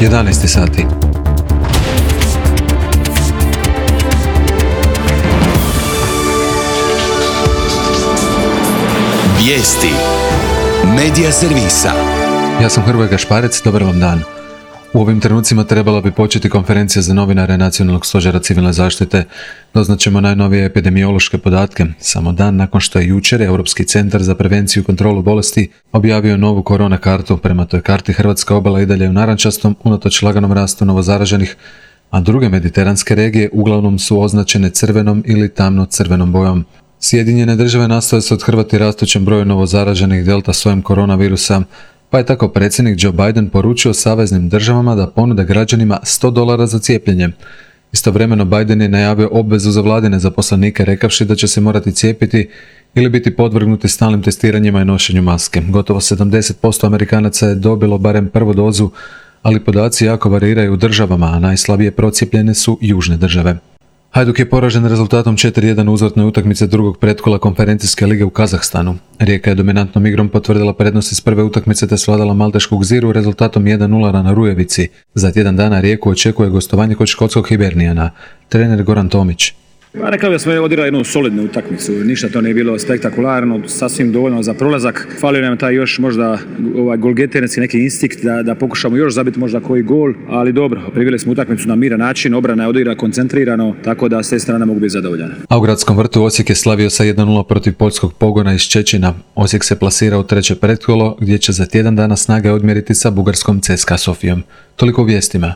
11 sati. Vijesti Medija servisa. Ja sam Hrvoje Gašparec, dobar vam dan. U ovim trenucima trebala bi početi konferencija za novinare Nacionalnog stožera civilne zaštite. Doznaćemo najnovije epidemiološke podatke. Samo dan nakon što je jučer Europski centar za prevenciju i kontrolu bolesti objavio novu korona kartu. Prema toj karti Hrvatska obala i dalje u narančastom, unatoč laganom rastu novozaraženih, a druge mediteranske regije uglavnom su označene crvenom ili tamno crvenom bojom. Sjedinjene države nastoje se othrvati rastućem broju novozaraženih delta sojem koronavirusa, pa je tako predsjednik Joe Biden poručio saveznim državama da ponude građanima $100 za cijepljenje. Istovremeno Biden je najavio obvezu za vladine zaposlenike rekavši da će se morati cijepiti ili biti podvrgnuti stalnim testiranjima i nošenju maske. Gotovo 70% Amerikanaca je dobilo barem prvu dozu, ali podaci jako variraju u državama, a najslabije procijepljene su južne države. Hajduk je poražen rezultatom 4-1 u uzvratnoj utakmici drugog pretkola konferencijske lige u Kazahstanu. Rijeka je dominantnom igrom potvrdila prednost iz prve utakmice te svladala maltešku Gziru rezultatom 1-0 na Rujevici. Za tjedan dana Rijeku očekuje gostovanje kod škotskog Hibernijana. Trener Goran Tomić. Rekao da smo odigrali jednu solidnu utakmicu, ništa to nije bilo spektakularno, sasvim dovoljno za prolazak. Falio nam taj još možda golgeterski neki instinkt da pokušamo još zabiti možda koji gol, ali dobro, priveli smo utakmicu na miran način, obrana je odigrala koncentrirano, tako da s te strane mogu biti zadovoljan. A u gradskom vrtu Osijek je slavio sa 1-0 protiv poljskog Pogona iz Čečina. Osijek se plasira u treće pretkolo gdje će za tjedan dana snage odmjeriti sa bugarskom CSKA Sofijom. Toliko u vijestima.